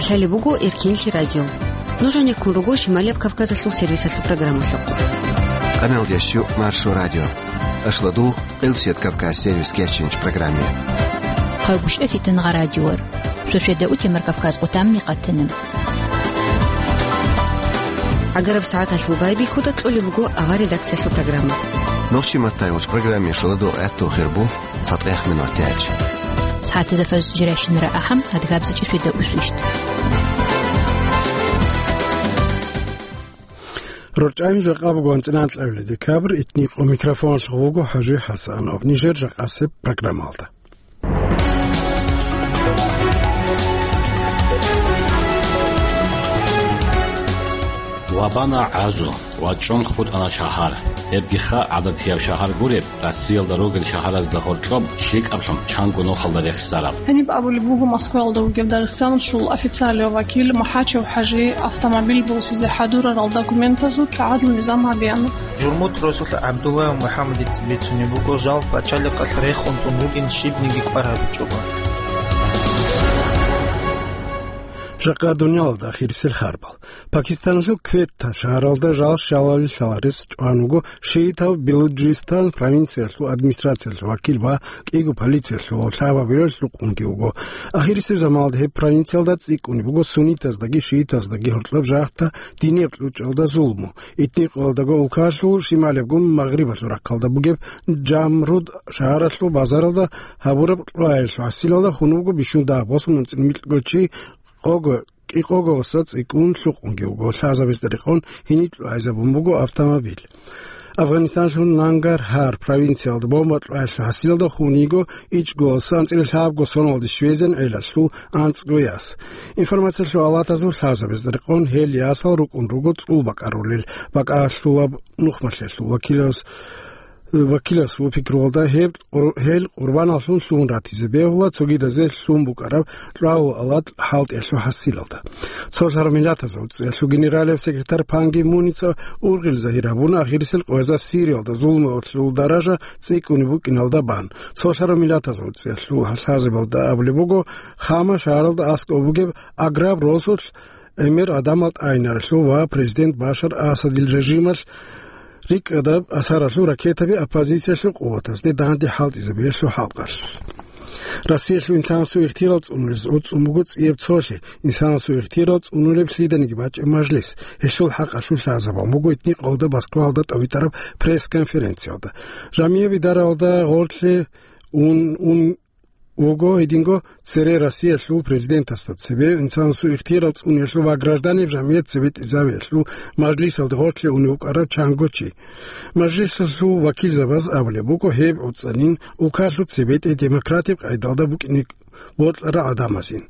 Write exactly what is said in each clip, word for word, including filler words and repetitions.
Гьале буго Эркенлъи радио. Нуж гьанеккун руго Шималияб Кавказалъул сервисалъул программалъухъ. Къаналдеш Маршо радио. Ашладугъ, Къилсият Кавказ сервис кечинч программе. Хъайгъушъа фитангъа радиор. Шошеда утемар Кавказ къутамни къатана. Агараб сагӀаталъул байбихьуда кьолеб буго авар редакциялъул программа. Нохчи маттай уч программе шоладугъ гӀаттун хирбу. Цадгъех минутач. СагӀатазда фаз жирайщинара ахӀам, адгабзичӀи швида усвищ. РорчӀайин жакъа буго анцӀила анкьабилеб декабрь, итни къо микрофоналъ гъуго ХӀажи ХӀасанов. Нижер жакъасеб программалда. Ва бана гӀазу, ва чӀун хутӀана шагьар. Гьебгиха гӀадатияб шагьар гуреб, Россиялда ругел шагьаразда гьоркьоб лъикӀаблъун чанго нухалда рехсараб. Гьаниб абулеб буго Москваялда вугев Дагъистаналъул официалияв вакил МухӀачев ХӀажи автомобиль босизе хӀадурарал документазул тӀагӀадлъун низам гьабеян. Журмут росулъ ГӀабдулла МухӀаммадица бицунеб буго жал пачалихъалъ рехун тун ругин щибниги кӀвар гьабичӀого. Жакъа дуниялалда ахирисел харбал. Пакистаналъул Кветта шагьаралда жал щалалил лъаларес чӀван вуго шиитав Белуджистан провинциялъул администрациялъул вакил ва кӀиго полициялъул лъабабилеб лъукъунги вуго. Ахирисеб заманалда гьеб провинциялда цӀикӀкӀунеб буго суннитаздаги шиитаздаги гьоркьоб жагьта динияб кьучӀалда зулму. Этникалдаго улкалъул шималиябгун магърибалъул рахъалда бугеб Жамруд шагьаралъул базаралда гьабураб кьваялъул хӀасилалда хун вуго бищун дагь босун анцӀила микьго чи, къого, кӀикъоголоса цӀикӀкӀун лъукъунги вуго, лъазабиз тӀерикъун гьениб кьвайзабун буго автомобиль. Афганистаналъул Нангархар провинциялда бомба кьваялъул хӀасилалда хун йиго ичӀголоса анцӀила лъабго соналде щвезегӀан гӀелалъул анцӀго яс. Информациялъул алатазул лъазабиз тӀерикъун гьел ясал рукӀун руго цӀул бакӀарулел, бакӀалъулаб нухмалъиялъул вакилас-, вакиласул пикруялда гьеб къур-, гьел къурбаналлъун лъугьун ратизе бегьула цогидазе лъун букӀараб кьвагьу алат хӀалтӀиялъул хӀасилалда. Цолъараб Миллатазул ГӀуцӀиялъул генералияб секретарь Пан Ги Муница ургъел загьир гьабуна ахирисел къоязда Сириялда зулмуялъул даража цӀикӀкӀунеб букӀиналда бан. Цолъараб Миллатазул ГӀуцӀиялъул лъазабалда абулеб буго, Хама шагьаралда аскӀоб бугеб аграб росулъ гӀемер гӀадамал тӀайинаралъул ва президент Башар Асадил режималъ рикӀкӀадаб асаралъул ракетаби оппозициялъул къуватазде данде хӀалтӀизабиялъул хӀакъалъулъ. Россиялъул инсанасул ихтияр цӀунулез гӀуцӀун буго цӀияб цолъи, инсанасул ихтияр цӀунулеб лъиданиги бачӀеб мажлис. Гьелъул хӀакъалъулъ лъазабун буго этникалда Москвалда тӀадвитӀараб пресс-конференциялда. Жамияб идаралда гъорлъе ун, ун, вуго гьединго цере Россиялъул президентасда цебе инсанасул ихтияр цӀуниялъул ва гражданин жамгӀият цебетӀезабиялъул мажлисалде гъорлъе унев вукӀарав чанго чи. Мажлисалъул вакилзабаз абулеб буго, гьеб гӀуцӀанин улкалъул цебетӀе демократияб къайдалда букӀине бокьарал гӀадамазин.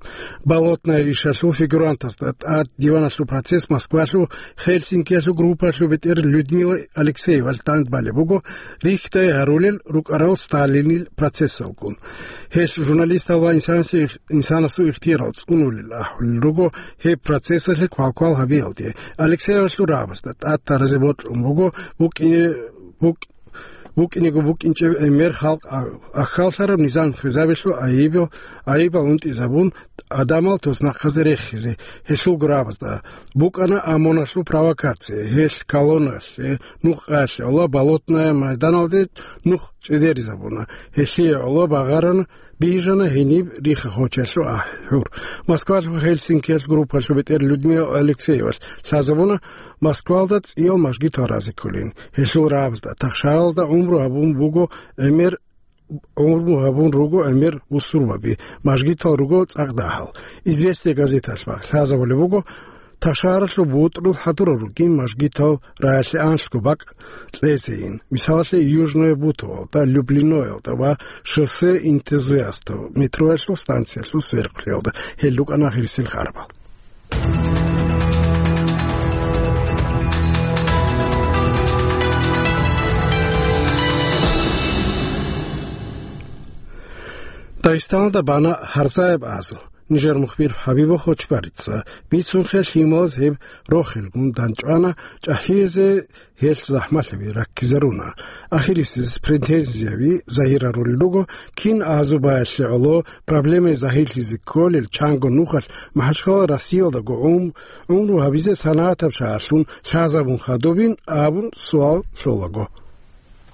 Болотная ишалъул фигурантазда тӀад диваналъул процесс Москвалъул Хельсинкиялъул группалъул бетӀер Людмила Алексеевалъ тӀад балеб буго, рихьдай гьарулел рукӀарал Сталинил процессалгун. Гьелъ журналистал ва инсанасе-, инсанасул ихтияр цӀунулел ахӀулел руго гьеб процессалъе квалквал гьабиялде. Алексеевалъул рагӀабазда тӀад таразе бокьун буго букӀине-, букӀ-, букӀинего букӀинчӀеб гӀемер халкъ а-, ахьаллъараб низам хвезабиялъул айибал, айибал унтӀизабун, гӀадамал туснахъазе рехизе. Гьелъул рагӀабазда букӀана ОМОНалъул провокация, гьелъ колонналъе нух къаялъе гӀоло Болотная майданалде нух чӀезаризабуна. Гьелъие гӀоло багъарана, бижана гьениб рихха-хочалъул ахӀи-хӀур. Москвалъул Хельсинкиялъул группалъул бетӀер Людмила Алексеевалъ лъазабуна Москвалда цӀиял мажгитал разе кколин. Гьелъул рагӀабазда тахшаралда гӀумру гьабун буго гӀемер, гӀумру гьабун руго гӀемер бусурбаби, мажгитал руго цӀакъ дагьал. Известия газеталъ лъазабулеб буго, тахшаралъул бутӀрул хӀадурал ругин мажгитал раялъе анлъго бакӀ кьезейин. Мисалалъе, Южное Бутово, да, Люблиноялда ва Шоссе энтузиастов метроялъул станциялъул сверухълъиялда. Гьел рукӀана ахирисел харбал. Дагъистаналда бана гьарзаяб азу. нижер мухбир Хабибов Хочбарица. Бицунхъе лъималаз гьеб рохелгун данчӀвана, чӀахӀиязе гьелъ захӀмалъаби раккизаруна. Ахирисез претензияби загьирарулел руго, кин азубаялъе гӀоло проблемаби загьирлъизе кколел чанго нухалъ МахӀачхъала Россиялдаго гӀум-, гӀумру гьабизе санагӀатаб шагьарлъун лъазабун хадубин абун суал лъолаго.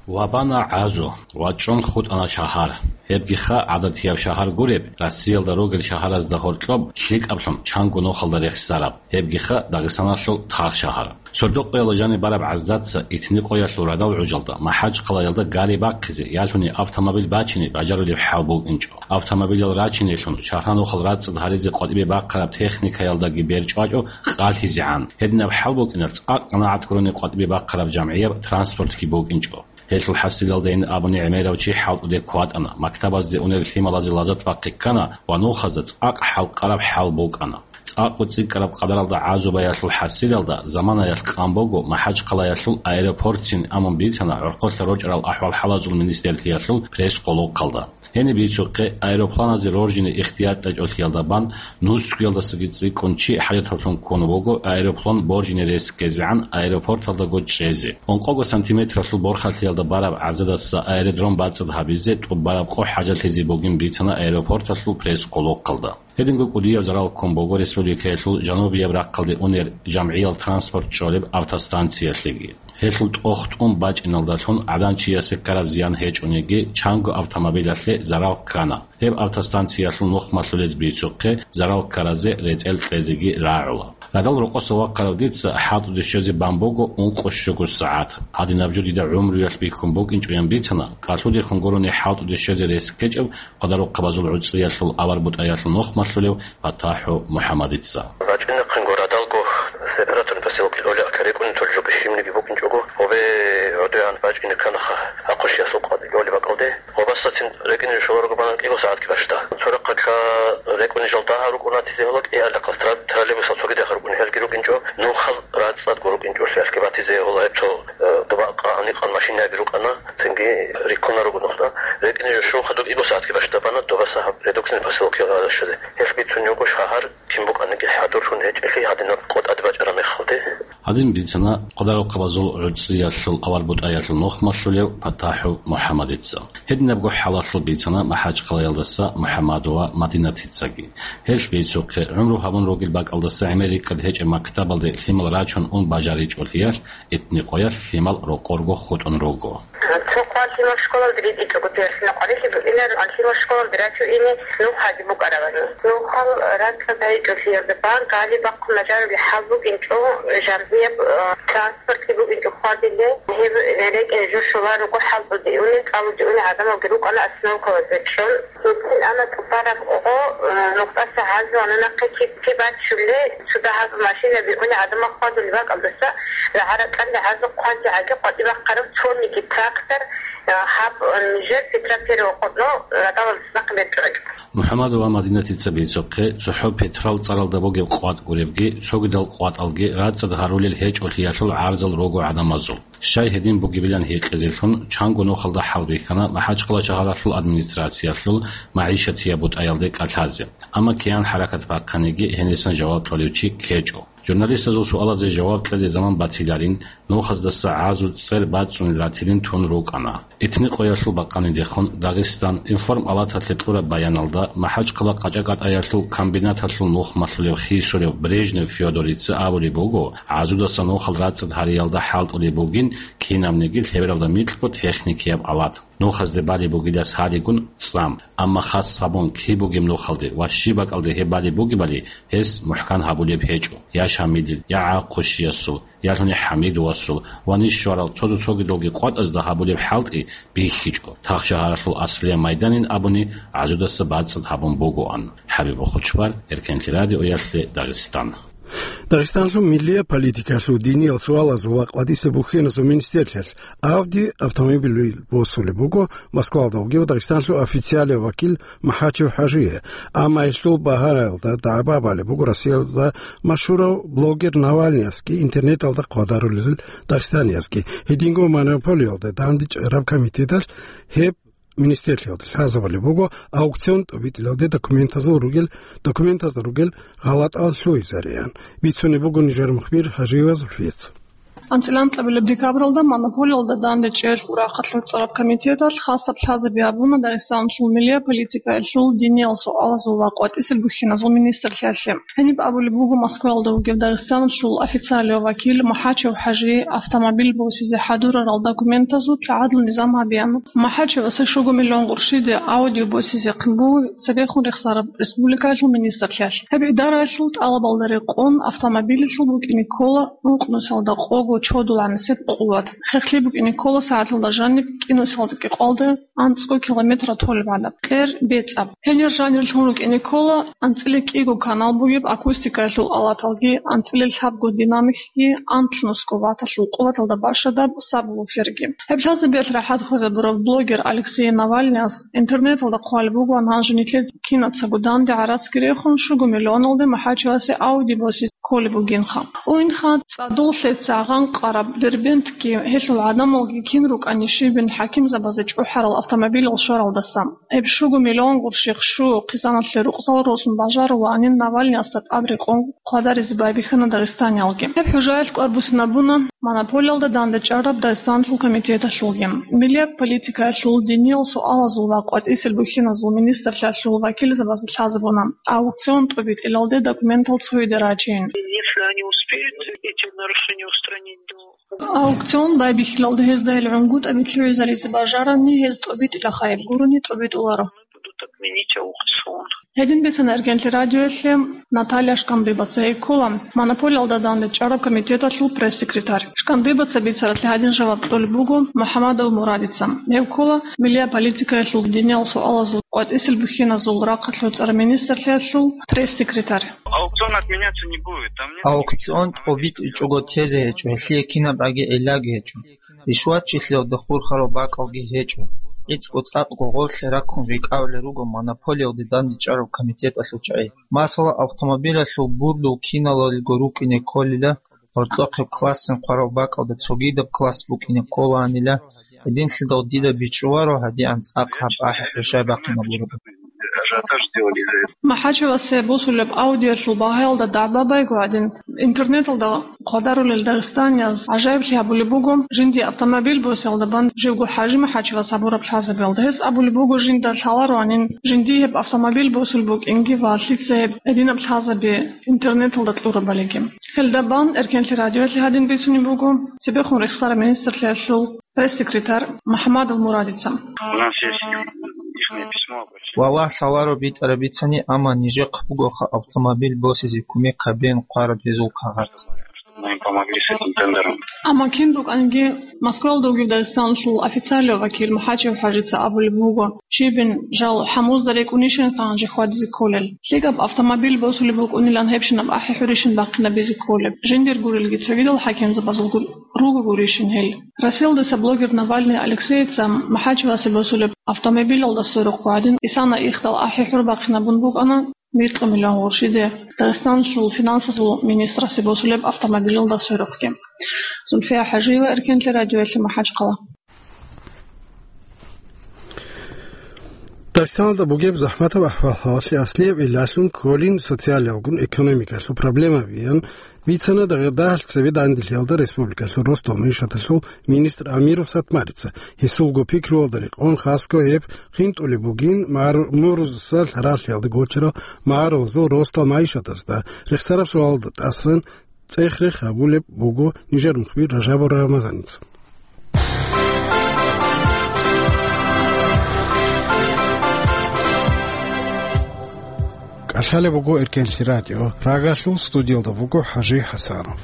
Вабана гӀазу, вачӀун хутӀана шагьар. Гьебгиха гӀадатияб шагьар гуреб, Россиялда ругел шагьаразда гьоркьоб лъикӀаблъун чанго нухалда рехсараб. Гьебгиха Дагъистаналъул тагъ шагьар. Сордо-къоялда жаниб бараб гӀаздаца итни-къоялъул радал гӀужалда, МахӀачхъалаялда гари бахъизе, ялъуни автомобиль бачине бажарулеб хӀал букӀинчӀо. Автомобилал рачинелъун, шагьранухал рацӀцӀад гьаризе къватӀибе бахъараб техникаялдаги берчӀвачӀо къалъизегӀан. Гьединаб хӀал букӀиналъ цӀакъ къанагӀат гурони къватӀибе бахъараб жамгӀияб транспортги букӀинчӀо. Гьелъул хӀасилалдайин абуни гӀемерав чи хӀалтӀуде кватӀана, мактабазде унел лъималазе лазат бахъи ккана ва нухазда цӀакъ хӀалкъараб хӀал букӀана. ЦӀакъго цӀикӀкӀараб къадаралда гӀазубаялъул хӀасилалда заманаялъ къан буго МахӀачхъалаялъул аэропортцин, амун бицана гӀорхъолъа рочӀарал ахӀвал-хӀалазул министрлъиялъул пресс-къолохъалда. Гьениб бицухъе, аэропланазе роржине ихтияр кьечӀолъиялда бан, нусгуялдасаги цӀикӀкӀун чи хӀажаталъун ккун вуго аэроплан боржине рес ккезегӀан аэропорталдаго чӀезе. Ункъого сантиметралъул борхалъиялда бараб гӀазадаса аэродром бацӀцӀад гьабизе тӀубараб къо хӀажалъизе бугин бицана аэропорталъул пресс-къолохъалда. Гьединго кӀудияб зарал ккун буго республикаялъул жанубияб рахъалде унер жамгӀиял транспорт чӀолеб автостанциялъеги. Гьелъул тӀохтӀун бачӀиналдалъун гӀадан чиясе ккараб зиян гьечӀониги, чанго автомобилялъе зарал ккана. Гьеб автостанциялъул нухмалъулез бицухъе, зарал ккаразе рецӀел кьезеги рагӀула. Радал рокъоса вахъарав дица хӀалтӀуде щвезе бан буго ункъо щуго сагӀат. Гьадинаб жо дида гӀумруялъ бихьун букӀинчӀоян бицана, кӀалъудехун гурони хӀалтӀуде щвезе рес ккечӀеб Къадарухъабазул гӀуцӀиялъул авар бутӀаялъул нухмалъулев ПатахӀу МухӀаммадица. БачӀинахъанго радалго Сепараторный поселок кьолеб рекӀуни толеб жо щибниги букӀинчӀого, гьобе гӀодегӀан бачӀине кканаха, гьахъущиясул къватӀ кьолеб бакӀалде. Гьобасацин рекӀине щоларого бана кӀиго сагӀатги бащда. Цо рахъалъа рекӀуни жал дагьаб рукӀуна тизе гьола, кӀиялдахъас тра-, троллейбусал цогидахъ рукӀуни, гьелги рукӀинчӀо, нухал рацӀцӀадго рукӀинчӀолъиялъги батизе гьола гьеб цо, э, доба къагьаникъан машинаби рукӀана. Цинги риккуна руго нухда. РекӀине жо щун хадуб кӀиго сагӀатги бащда бана Добаса гьаб Редуксин поселокиялда щвезе. Гьелъ бицун його шагьар кин букӀаниги хӀадурлъун гьечӀелъи гьадинаб къо тӀаде бачӀараб мехалде. Гьадин бицана Къадарухъабазул гӀуцӀиялъул авар бутӀаялъул нухмалъулев ПатахӀу МухӀаммадица. Гьединабго хӀалалъул бицана МахӀачхъалаялдаса МухӀаммадова Мадинатицаги. Гьелъ бицухъе, гӀумру гьабун ругел бакӀалдаса гӀемер рикӀкӀад гьечӀеб мактабалде лъимал рачун ун бажаричӀолъиялъ, итни къоялъ лъимал рокъорго хутӀун руго. Цо хъван лъимал школалде ритӀичӀого, пиялъина къварилъи букӀинаран лъимал школалде рачун ине нухаги букӀаравани. Нухал рацӀцӀад гьечӀолъиялда бан гали бахъун бажарулеб хӀал букӀинчӀо, жамгӀияб, э, транспортлъи букӀинчӀо хьвадиле. Гьеб рекӀел жо щоларого хӀалтӀуде унел, кӀалуде унел гӀадамалги рукӀана остановкалазда чӀун. Гьедин ана тӀубараб гъо, э, нухдаса гьазу ана нахъе чи, чи бачулел, цо дагьаб машинаби уни гӀадамал хьвадулеб бакӀалдаса, рагӀа-ракьалда гьазу хъвазе гӀаги къватӀибахъараб цониги трактор, э, гьаб, э, нижер Петра Первого къотӀно радалалдаса нахъе бетӀерачӀо. МухӀаммадова Мадинатица бицухъе, цохӀо Петрал цӀаралда бугеб къватӀ гуребги, цогидал къватӀалги рацӀцӀад гьарулел гьечӀолъиялъул гӀарзал руго гӀадамазул. Щай гьедин бугебилан гьикъизелъун, чанго нухалда хӀалбихьана МахӀачхъала шагьаралъул администрациялъул магӀишатияб бутӀаялде кӀалъазе. Амма киян хӀаракат бахъаниги, гьенисан жаваб кьолев чи ккечӀо. Журналистазул суалазе жаваб кьезе заман батиларин, нухаздаса гӀазу цӀер бацӀцӀунел ратилин тун рукӀана. Итни къоялъул бакъанидехун Дагъистан информ палаталъе кьураб баяналда, МахӀачхъала къачӀа-кӀатӀаялъул комбинаталъул нухмалъулев хисурев Брежнев Феодорица абулеб буго, гӀазудаса нухал рацӀцӀад гьариялда хӀалтӀулеб бугин кинабниги лъебералда микьго техникияб алат. Нухазде балеб бугилас гьаригун цӀам, амма хас гьабун киб бугеб нухалде ва щиб бакӀалде гьеб балеб бугебали гьес мухӀкан гьабулеб гьечӀо, я Шамилил, я ГӀахъущиясул, ялъуни ХӀамидовасул ва ниж щварал цо-цо цогидалги къватӀазда гьабулеб хӀалтӀи бихьичӀо, тахшагьаралъул аслияб майданин абуни гӀазудаса бацӀцӀад гьабун бугоан. ХӀабиб Хучбар, Эркенлъи радиоялъе, Дагъистан. Дагъистанлъун миллияб политикалъул, диниял суалазул ва къватӀисеб бухьиназул министрлъиялъ Audi автомобиль босулеб буго Москвалда вугев Дагъистанлъул официалияв вакил МахӀачев ХӀажие, амма гьелъул багьаялда дагӀба балеб буго Россиялда машгьурав блогер Навальныясги интернеталда хъвадарулел дагъистаниязги. Гьединго монополиялда дандчӀвараб комитеталъ гьеб министрлъиялда лъазабулеб буго аукцион тӀобитӀилалде документазул ругел, документазда ругел гъалатӀал лъугьизариан. Бицунеб буго нижер мухбир Гьажиева Зульфица. АнцӀила анкьабилеб декабралда монополиялда дандечӀеялъул рахъалъ цӀараб комитеталъ хасаб лъазаби гьабуна Дагъистаналъул миллият политикаялъул, диниялъул суалазул ва къватӀисел бухьиназул министрлъиялъе. Гьениб абулеб буго Москваялда вугев Дагъистаналъул официалияв вакил МахӀачев ХӀажи автомобиль босизе хӀадурарал документазул лъагӀадлъун низам гьабеян. МахӀачевасе щуго миллион къуршиде Audi босизехъин буго цебехун рехсараб республикаялъул министрлъиялъ. Гьеб идараялъул тӀалабалда рекъон автомобилалъул букӀине ккола рукънусалда къого чодулгӀанасеб къуват. Хехлъи букӀине ккола сагӀаталда жаниб кӀинусалда кӀикъвалда анцӀго километр толеб гӀадаб, кьер бецӀаб. Гьенир жанирлъун рукӀине ккола анцӀила кӀиго канал бугеб акустикаялъул алаталги, анцӀила лъабго динамикги, анлънусго ватталъул къуваталда бащадаб сабвуферги. Гьеб лъазабиялъ рахӀат хвезабурав блогер Алексей Навальныяс интернеталда хъвалеб бугоан, гьанже нилъеца кинацаго данде гӀарацги рехун, щуго миллионалде МахӀачевасе Audi босизе кколеб бугинха. Уинха, цӀадул лъеца гъанкъараб Дербентги гьелъул гӀадамалги кин рукӀани щибин хӀакимзабазе чӀухӀарал автомобилал щваралдаса. Гьеб щуго миллион къуршихъ щу хъизаналъе рукъзал росун бажарулаанин Навальныясда тӀад рекъон хъвадаризе байбихьана дагъистаниялги. Гьеб хӀужаялъ кӀвар буссинабуна монополиялда дандечӀараб Дагъистаналъул комитеталъулги. Миллият политикаялъул, диниялъул суалазул ва къватӀисел бухьиназул министрлъиялъул вакилзабазда лъазабуна аукцион тӀобитӀилалде документал цоги дарачейин. Если они успеют эти нарушения устранить до... Аукцион байбихьилалда гьезда гьел гӀунгутӀаби лъугӀизаризе бажарани, гьез тӀобитӀилаха, гьеб гурони тӀобитӀуларо. Будут отменить аукцион. Гьедин бицана Эркенлъи радиоялъе Наталья Шкандыбаца, гьей ккола монополиялда дандечӀараб комитеталъул пресс-секретарь. Шкандыбаца бицаралъе гьадин жаваб кьолеб буго МухӀамадов Мурадица. Гьев ккола миллият политикаялъул, диниялъул суалазул, къватӀисел бухьиназул рахъалъ цӀар министрлъиялъул пресс-секретарь. Аукцион отменяться не будет. Там нет... Аукцион тӀобитӀичӀого тезе гьечӀо, гьелъие кинабгӀаги гӀиллаги гьечӀо. Ришватчилъиялда хурхарал бакӀалги гьечӀо. ГӀицӀго цӀакъго гъорлъе раккун рикӀкӀавулел руго монополиялде дандечӀараб комитеталъул чагӀи. Масала, автомобилалъул бурдул киналалиго рукӀине кколила, гьоркьохъеб классин хъварал бакӀалда цогидаб класс букӀине кколаанила, гьединлъидал дида бичӀчӀуларо гьадигӀан цӀакъ гьаб ахӀи-хӀуршай бахъинабураб. МахӀачевасе босулеб Audi-ялъул багьаялда дагӀба байго гьадин, интернеталда хъвадарулел дагъистанияз гӀажаиблъи гьабулеб буго жиндие автомобиль босиялда бан живго ХӀажи МахӀачевас гьабураб лъазабиялда. Гьес абулеб буго жинда лъалароанин жиндие гьеб автомобиль босулеб букӀинги ва лъица гьеб гьединаб лъазаби интернеталда кьурабалиги. Гьелда бан Эркенлъи радиоялъе гьадин бицунеб буго цебехун рехсараб министрлъиялъул пресс-секретарь МухӀамадов Мурадица. У нас есть ихнее письмо, обращение. Валлагь, лъаларо битӀараб бицани, амма нижехъ бугоха автомобиль босизе кумек гьабеян хъвараб гьезул кагъат. Мы им помогли с этим тендером. Амма кин букӀанги, Москваялда вугев Дагъистаналъул официалияв вакил МахӀачев ХӀажица абулеб буго, щибин жал хӀамузда рекӀунищин гьанже хьвадизе кколел. ЛъикӀаб автомобиль босулеб букӀунилан гьебщинаб ахӀи-хӀурищин бахъинабизе кколеб. Жиндир гурелги цогидал хӀакимзабазул гур-, руго гурищин гьел. Россиялдаса блогер Навальный Алексейица МахӀачевасе босулеб автомобилалда сверухъ гӀадин, исана ихдал ахӀи-хӀур бахъинабун букӀана микьго миллион къуршиде Дагъистаналъул финансазул министрасе босулеб автомобилалда сверухъги. Зульфия ХӀажиева, Эркенлъи радиоялъе, МахӀачхъала. Дагъистаналда бугеб захӀматаб ахӀвал-хӀалалъе аслияб гӀиллалъун кколин социалиялгун экономикалъул проблемабиян бицана дагъ-, дагьалъ цебе данделъиялда республикалъул росдал мугӀишаталъул министр Амиров Сатмарица. Гьесулго пикруялда рекъон хасго гьеб хинтӀулеб бугин магӀару-, мурузаса лъаралъиялда гочарал магӀарулазул росдал мугӀишатазда. Рехсараб суалда тӀасан цӀех-рех гьабулеб буго нижер мухбир Ражабов Рамазаница. КӀалъалеб буго Эркенлъи радио. Прагалъул студиялда буго ХӀажи ХӀасанов.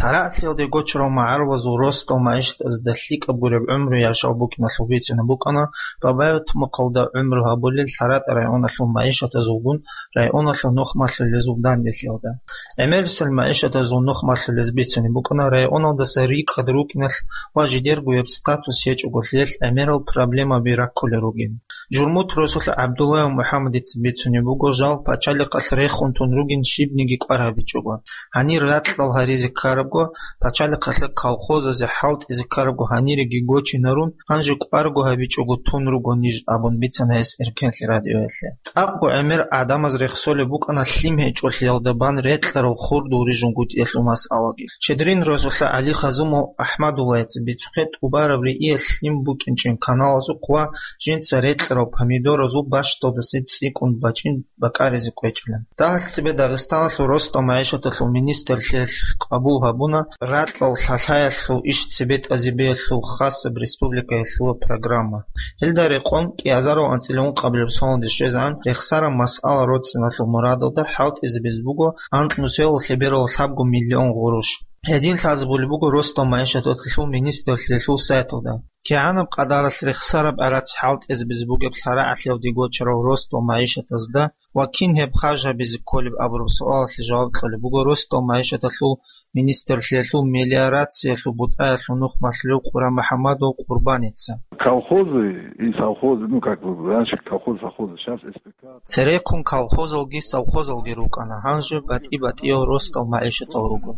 Лъара Лъалде гочарал магӀарулазул росдал магӀишатазда лъикӀаб гуреб гӀумру яшав букӀиналъул бицунеб букӀана Бабаев тумухъалда гӀумру гьабулел ЛъаратӀа районалъул магӀишатазулгун районалъул нухмалъулезул данделъиялда. ГӀемерисел магӀишатазул нухмалъулез бицунеб букӀана районалдаса рикӀкӀад рукӀиналъ ва жидергояб статус гьечӀого лъиялъ гӀемерал проблемаби раккулел ругин. Журмут росулъа ГӀабдуллаев МухӀаммадица бицунеб буго, жал пачалихъалъ рехун тун ругин щибниги кӀвар гьабичӀого. Гьанир ракьал гьаризе ккарабго, пачалихъалъа колхозазе хӀалтӀизе ккарабго гьаниреги гочинарун, гьанже кӀварго гьабичӀого тун руго ниж абун бицана гьес Эркенлъи радиоялъе. ЦӀакъго гӀемер гӀадамаз рехсолеб букӀана лъим гьечӀолъиялда бан рекьарал хурдул рижунгутӀиялъул масъалаги. Щедрин росулъа ГӀали Хазумов АхӀмадуллаяца бицухъе тӀубараб рииялъ лъим букӀинчӀин каналазухъ ва жинца рекьарал помидоразул бащдалдаса цӀикӀкӀун бачӀин бакӀаризе кӀвечӀилан. Дагьалъ цебе Дагъистаналъул росдал магӀишаталъул министрлъиялъ къабул гьабуна ракьал лъалъаялъул иш цебетӀазе бегьулъул хасаб республикаялъула программа. Гьелда рекъон кӀиазарал анцӀила ункъабилеб соналде щвезегӀан рехсараб масъала роцӀцӀиналъул мурадалда хӀалтӀизабизе буго анкь нусиялъул лъеберал лъабго миллион гъурущ. Гьедин лъазабулеб буго росдал магӀишаталъул министрлъиялъул сайталда. КигӀанаб къадаралъ рехсараб гӀарац хӀалтӀизабизе бугеб лъарагӀалъиялде гочарал росдал магӀишатазда ва кин гьеб харж гьабизе кколеб абураб суалалъе жаваб кьолеб буго росдал магӀишаталъул министрлъиялъул мелиорациялъул бутӀаялъул нухмалъулев Къурамухьамадов Къурбаница. Колхозы и совхозы, ну, как бы, раньше колхозы, совхозы, сейчас С П К. Цереккун колхозалги совхозалги рукӀана, гьанже батӀи-батӀиял росдал магӀишатал руго.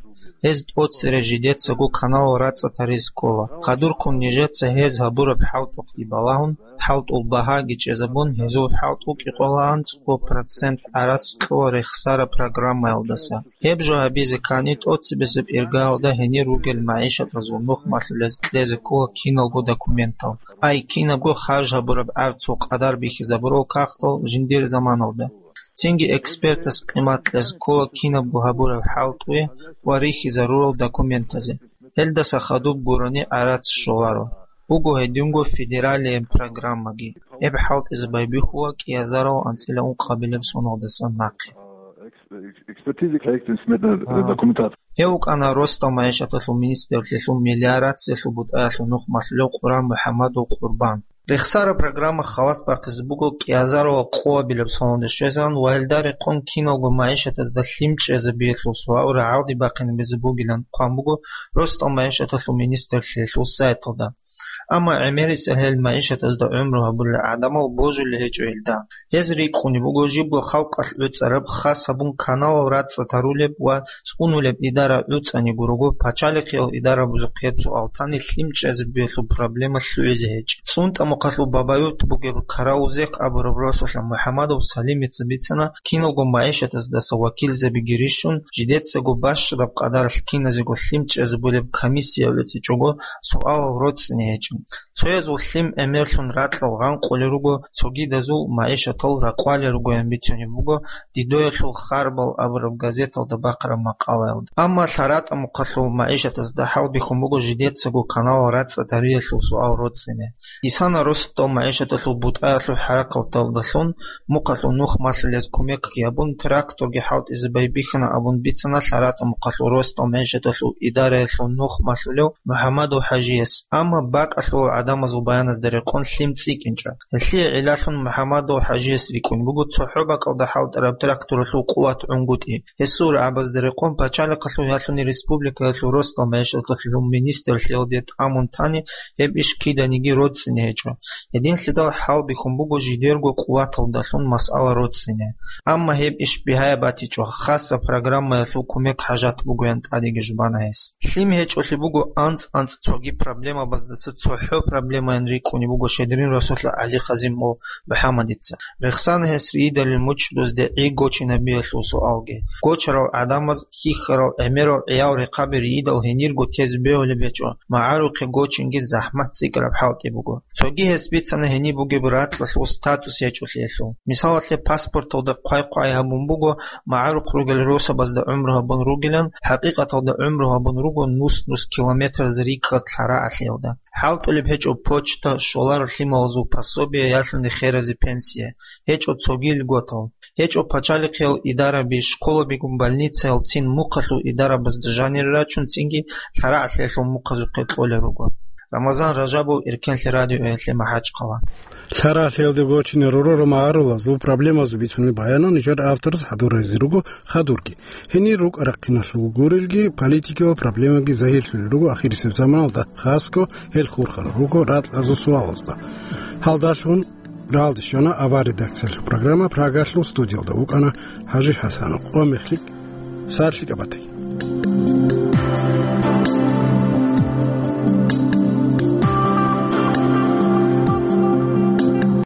Гьез тӀоцере жидецаго каналал рацӀцӀад гьаризе ккола. Хадурккун нижеца гьез гьабураб хӀалтӀухъги балагьун, хӀалтӀул багьаги чӀезабун, гьезул хӀалтӀукӀи къолаан цо процент гӀарац кьола рехсараб программаялдаса. Гьеб жо гьабизе ккани, тӀоцебесеб иргаялда гьенир ругел магӀишатазул нухмалъулез кьезе ккола киналго документал. Ай, кинабго харж гьабураб гӀарцул къадар бихьизабурал кагътал жиндир заманалда. Цинги экспертас къимат кьезе ккола кинабго гьабураб хӀалтӀуе ва рихьизарурал документазе. Гьелдаса хадуб гурони гӀарац щоларо. Буго гьединго федералияб программаги. Гьеб хӀалтӀизе байбихьула кӀиазарал анцӀила ункъабилеб соналдаса нахъе. Экспертиза проектно-сметная документация. Гьев вукӀана росдал магӀишаталъул министрлъиялъул мелиорациялъул бутӀаялъул нухмалъулев Къурамухьамадов Къурбан. Рехсараб программа халат бахъизе буго кӀиазарал къоабилеб соналде щвезегӀан ва гьелда рекъон киналго магӀишатазда лъим чӀезабиялъул суал рагӀалде бахъинабизе бугилан хъван буго росдал магӀишаталъул министрлъиялъул сайталда. Амма гӀемерисел гьел магӀишатазда гӀумру гьабулел гӀадамал божулел гьечӀо гьелда. Гьез рикӀкӀунеб буго жибго халкъалъ гӀуцӀараб, хас гьабун каналал рацӀцӀад гьарулеб ва цӀунулеб идара гӀуцӀани гурого, пачалихъиял идарабазухъ гьеб суал тани лъим чӀезабиялъул проблема лъугӀизе гьечӀеб. ЦӀунтӀамухъалъул Бабаюрт бугеб Караузек абураб росулъа МухӀамадов Салимица бицана, киналго магӀишатаздаса вакилзабиги рищун, жидецаго бащадаб къадаралъ киназего лъим чӀезабулеб комиссия гӀуцӀичӀого суалал роцӀцӀине гьечӀо. Цоязул лъим гӀемерлъун ракьал гъанкъулел руго, цогидазул магӀишатал ракъвалел ругоян бицунеб буго Дидоялъул харбал абураб газеталда бахъараб макъалаялда. Амма ЛъаратӀа-Мухъалъул магӀишатазда хӀалбихьун буго жидецаго каналал рацӀцӀад гьариялъул суал роцӀцӀине. Исана росдал магӀишаталъул бутӀаялъул хӀаракаталдалъун Мухъалъул нухмалъулез кумекги гьабун, тракторги хӀалтӀизе байбихьана абун бицана ЛъаратӀа-Мухъалъул росдал магӀишаталъул идараялъул нухмалъулев МухӀамадов ХӀажияс. Амма бакӀалъул гӀадамазул баяназда рекъон лъим цӀикӀкӀинчӀо. Гьелъие гӀиллалъун МухӀамадов ХӀажияс рикӀкӀун буго цохӀо бакӀалда хӀалтӀараб тракторалъул къуват гӀунгутӀи. Гьесул рагӀабазда рекъон пачалихъалъул ялъуни республикаялъул росдал магӀишаталъул министрлъиялде тӀамун тани, гьеб иш киданиги роцӀцӀине гьечӀо. Гьединлъидал хӀалбихьун буго жидерго къуваталдалъун масъала роцӀцӀине. Амма гьеб иш бигьаяб батичӀо, хасаб программаялъул кумек хӀажат бугоян тӀадеги жубана гьес. Лъим гьечӀолъи буго анцӀ-анцӀ цоги проблемабаздаса цохӀо проблемаян рикӀкӀунеб буго Щедрин росулъа ГӀали Хазумов МухӀаммадица. Рехсана гьес риидалил мучӀдузде гӀи гочинабиялъул суалги. Гочарал гӀадамаз, хьихьарал, гӀемерал гӀиял рехъаби риидал гьенирго тезе бегьулеб гьечӀо, магӀарухъе гочинги захӀмат цӀикӀкӀараб хӀалтӀи буго. Цоги гьес бицана гьениб бугеб ракьалъул статус гьечӀолъиялъул. Мисалалъе, паспорталда хъвай-хъвай гьабун буго, магӀарухъ ругел росабазда гӀумру гьабун ругилан, хӀакъикъаталда гӀумру гьабун руго нус-нус километраз рикӀкӀад лъарагӀалъиялда. ХӀалтӀулеб гьечӀо почта, щоларо лъималазул пособие, ялъуни херазе пенсия, гьечӀо цоги льготал. ГьечӀо пачалихъиял идараби, школабигун больницаял цин мухъалъул идарабазда жанире рачун, цинги лъарагӀалъиялъул мухъазухъе кьолел руго. Рамазан Ражабов, Эркенлъи радиоялъе, МахӀачхъала. ЛъарагӀалъиялде гочине ророраб магӀарулазул проблемазул бицунеб баянал нижер авторас хӀадуразе руго хадурги. Гьенир рукӀа-рахъиналъул гурелги, политикиял проблемаги загьирлъулел руго ахирисеб заманалда, хасго гьел хурхарал руго ракьазул суалазда. Гьалдалъун ралде щвана авар редакциялъул программа. Прагалъул студиялда вукӀана ХӀажи ХӀасанов. Къо мехлъи, сарлъи кӀабатӀи.